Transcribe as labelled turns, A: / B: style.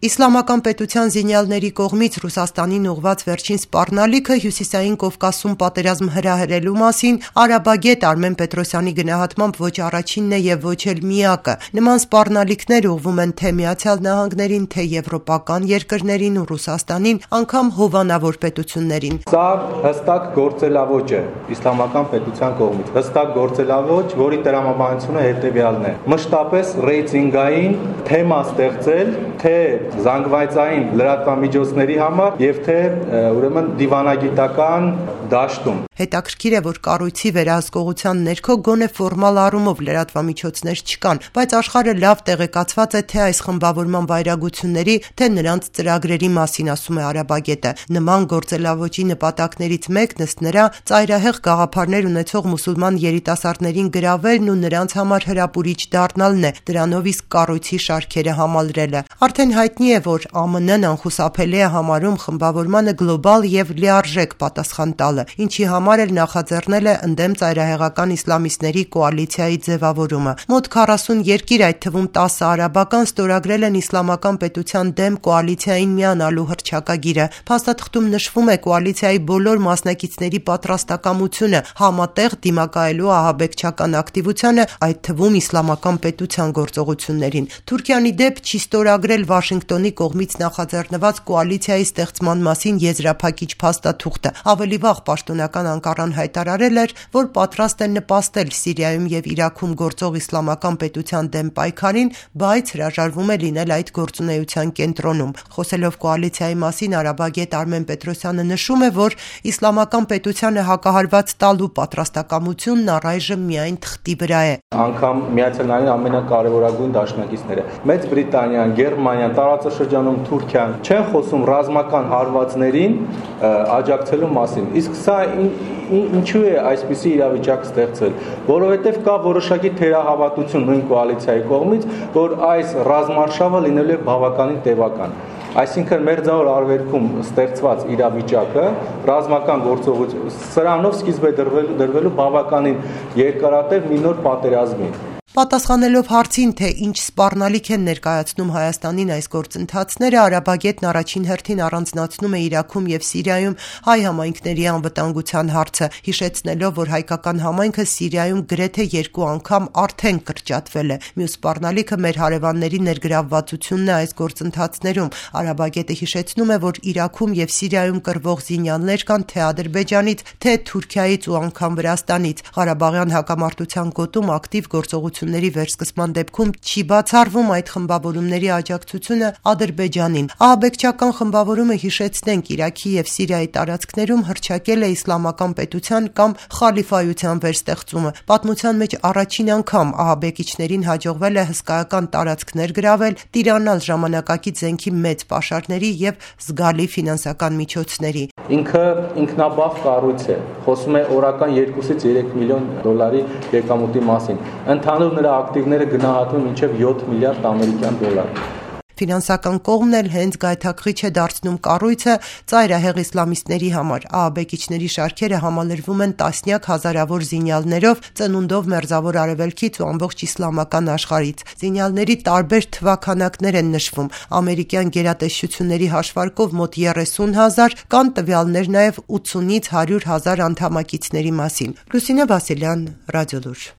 A: Իսլամական պետության զինյալների կողմից Ռուսաստանին ուղղված վերջին սպառնալիքը Հյուսիսային Կովկասում պատերազմ հրահրելու մասին արաբագետ Արմեն Պետրոսյանի գնահատմամբ ոչ առաջինն է եւ ոչ էլ միակը։ Նման սպառնալիքներ ուղղվում են թե ԱՄՆ-ին, թե եվրոպական երկրներին ու Ռուսաստանին, անգամ հովանավոր պետություններին։
B: Սա հստակ գործելավոճ է իսլամական պետության կողմից։ Հստակ գործելավոճ, որի տրամաբանությունը հետեւյալն է. մշտապես ռեյտինգային թեմա ստեղծել, թե զանգվածային լրատվամիջոցների համար եւ թե ուրեմն դիվանագիտական դաշտում։
A: Հետաքրքիր է, որ կառույցի վերահսկողության ներքո գոնե ֆորմալ առումով լրատվամիջոցներ չկան, բայց աշխարհը լավ տեղեկացված է թե այս խմբավորման վայրագությունների, թե նրանց ծրագրերի մասին, ասում է արաբագետը։ Նման գործելավոճի նպատակներից մեկն ըստ նրա ծայրահեղ գաղափարներ ունեցող մուսուլման երիտասարդներին գրավելն ու նրանց համար հրապուրիչ դառնալն է, դրանով իսկ կառույցի շարքերը համալրելը։ Արդեն հայտնի է, որ ԱՄՆ-ն անխուսափելի է համարում խմբավորմանը գլոբալ եւ լիարժեք պատասխան տալը, ինչի համար էլ նախաձեռնել է ընդդեմ ծայրահեղական իսլամիստների կոալիցիայի ձևավորումը։ Մոտ 40 երկիր, այդ թվում 10 արաբական, ստորագրել են իսլամական պետության դեմ կոալիցիային միանալու հռչակագիրը։ Փաստաթղթում նշվում է կոալիցիայի բոլոր մասնակիցների պատրաստակամությունը համատեղ դիմակայելու ահաբեկչական ակտիվությանը, այդ թվում իսլամական պետության գործողություններին։ Թուրքիան ի դեպ չի ստորագրել Վաշինգտոնի կողմից նախաձեռնված կոալիցիայի ստեղծման մասին եզրափակիչ փաստաթուղթը։ Ավելի վաղ պաշտոնական Անկարան հայտարարել էր, որ պատրաստ է նպաստել Սիրիայում եւ Իրաքում գործող իսլամական պետության դեմ պայքարին, բայց հրաժարվում է լինել այդ գործունեության կենտրոնում։ Խոսելով կոալիցիայի մասին արաբագետ Արմեն Պետրոսյանը նշում է, որ իսլամական պետությանը հակահարված տալու պատրաստակամությունն առայժմ միայն թղթի վրա է։
B: Անգամ Միացյալ Նահանգների ամենակարևորագույն դաշնակիցները Մեծ Բրիտանիան, Գերմանիան, տարածաշրջանում Թուրքիան չեն խոսում ռազմական հարվածներին աջակցելու մասին։ Իսկ սա ինչու է այսպիսի իրավիճակ ստեղծել, որովհետև կա որոշակի թերահավատություն նույն կոալիցիայի կողմից, որ այս ռազմարշավը լինելու է բավականին տևական։ Այսինքն մերձավոր արևելքում ստեղծված իրավիճակը ռազմական գործողություն սրանով սկիզբ է դրվելու բավականին երկարատև մի նոր պատերազմի։
A: Պատասխանելով հարցին, թե ինչ սպառնալիք են ներկայացնում Հայաստանին այս գործընթացները, արաբագետն առաջին հերթին առանձնացնում է Իրաքում եւ Սիրիայում հայ համայնքների անվտանգության հարցը, հիշեցնելով, որ հայկական համայնքը Սիրիայում գրեթե 2 անգամ արդեն կրճատվել է։ Մյուս սպառնալիքը մեր հարևանների ներգրավվածությունն է այս գործընթացներում։ Արաբագետը հիշեցնում է, որ Իրաքում եւ Սիրիայում կռվող զինյալներ կան թե Ադրբեջանից, թե Թուրքիայից ու անգամ Վրաստանից։ Ղարաբաղյան հակամարտության գոտում ակտիվ գործողությունների վերսկսման դեպքում չի բացառվում այդ խմբավորումների աջակցությունը Ադրբեջանին։ Ահաբեկչական խմբավորումը, հիշեցնենք, Իրաքի եւ Սիրիայի տարածքներում հռչակել է իսլամական պետության կամ խալիֆայության վերստեղծումը։ Պատմության մեջ առաջին անգամ ահաբեկիչներին հաջողվել է հսկայական տարածքներ գրավել, տիրանալ ժամանակակից զենքի մեծ պաշարների եւ զգալի ֆինանսական միջոցների։
B: Ինքը ինքնաբավ կառույց է, խոսում է օրական 2-ից 3 միլիոն դոլարի եկամուտի մասին։ Ընդհանուր նրա ակտիվները գնահատվում մինչև 7 միլիարդ ամերիկյան դոլար։
A: Ֆինանսական կողմն էլ հենց գայթակղիչ է դարձնում կառույցը ծայրահեղ իսլամիստների համար։ Ահաբեկիչների շարքերը համալրվում են տասնյակ հազարավոր զինյալներով, ծնունդով Մերձավոր Արևելքից ու ամբողջ իսլամական աշխարհից։ Զինյալների տարբեր թվաքանակներ են նշվում։ Ամերիկյան գերատեսչությունների հաշվարկով մոտ 30,000, կան տվյալներ նաև 80-ից 100,000 անդամակիցների մասին։ Լուսինե Վասիլյան, Ռադիոլուր։